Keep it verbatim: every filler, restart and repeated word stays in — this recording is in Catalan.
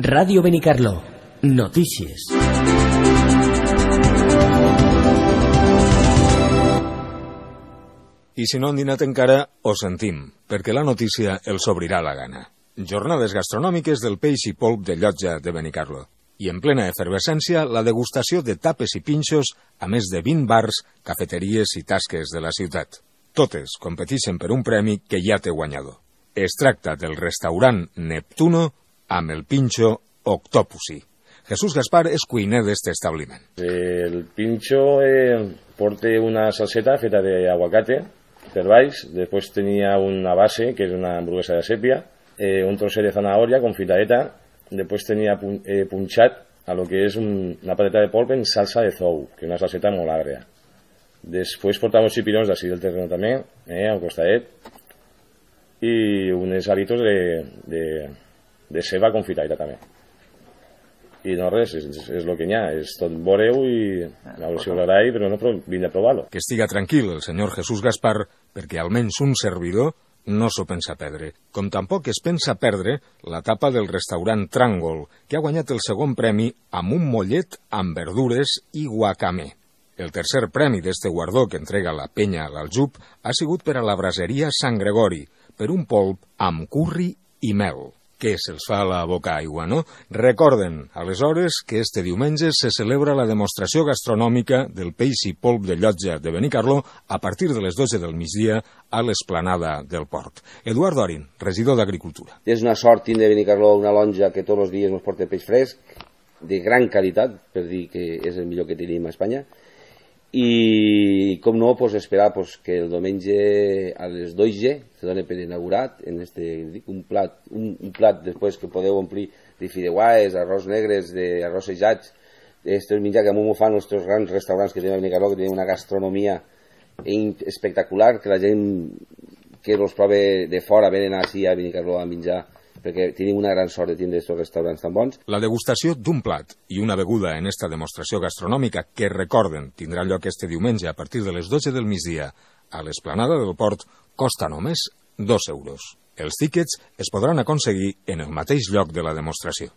Ràdio Benicarló. Notícies. I si no han dinat encara, ho sentim, perquè la notícia els obrirà la gana. Jornades gastronòmiques del peix i polp de Llotja de Benicarló. I en plena efervescència, la degustació de tapes i pinxos a més de vint bars, cafeteries i tasques de la ciutat. Totes competeixen per un premi que ja té guanyador. Es tracta del restaurant Neptuno amb el pinxo Octopussy. Jesús Gaspar és cuiner d'este establiment. El pinxo eh, porta una salseta feta de aguacate per baix, després tenia una base, que és una hamburguesa de sèpia, eh, un trosset de zanahoria confitadeta, després tenia pun eh, punxat a lo que és un, una patata de polp en salsa de zou, que és una salseta molt agria. Després portava uns xipirons d'ací del terreno també, eh, al costadet, i uns haritos de, de, de ceba confitadeta també. I no res, és, és el que n'hi ha, és tot veureu i a veure si us agrada, però no vine a provar-lo. Que estiga tranquil el senyor Jesús Gaspar, perquè almenys un servidor no s'ho pensa perdre. Com tampoc es pensa perdre la tapa del restaurant Tràngol, que ha guanyat el segon premi amb un mollet amb verdures i guacamè. El tercer premi d'este guardó que entrega la penya a l'Aljub ha sigut per a la braseria Sant Gregori, per un polp amb curri i mel. Que se'ls fa la boca aigua, no? Recorden, aleshores, que este diumenge se celebra la demostració gastronòmica del peix i polp de Llotja de Benicarló a partir de les dotze del migdia a l'esplanada del port. Eduard Dorin, regidor d'Agricultura. És una sort tindre a Benicarló una lonja que tots els dies ens porta peix fresc, de gran qualitat, per dir que és el millor que tenim a Espanya, i com no, pues, esperar pues, que el diumenge a les dotze se doni per inaugurat en este, un, plat, un, un plat després que podeu omplir de fideuàs, arròs negres, d'arrossejats, este menjar que a mi m'ho fan els nostres grans restaurants que tenim a Benicarló, que tenen una gastronomia espectacular, que la gent que els prova de fora venen així a Benicarló a menjar, perquè tenim una gran sort de tindre aquests restaurants tan bons. La degustació d'un plat i una beguda en esta demostració gastronòmica que, recorden, tindrà lloc este diumenge a partir de les dotze del migdia a l'esplanada del port costa només dos euros. Els tíquets es podran aconseguir en el mateix lloc de la demostració.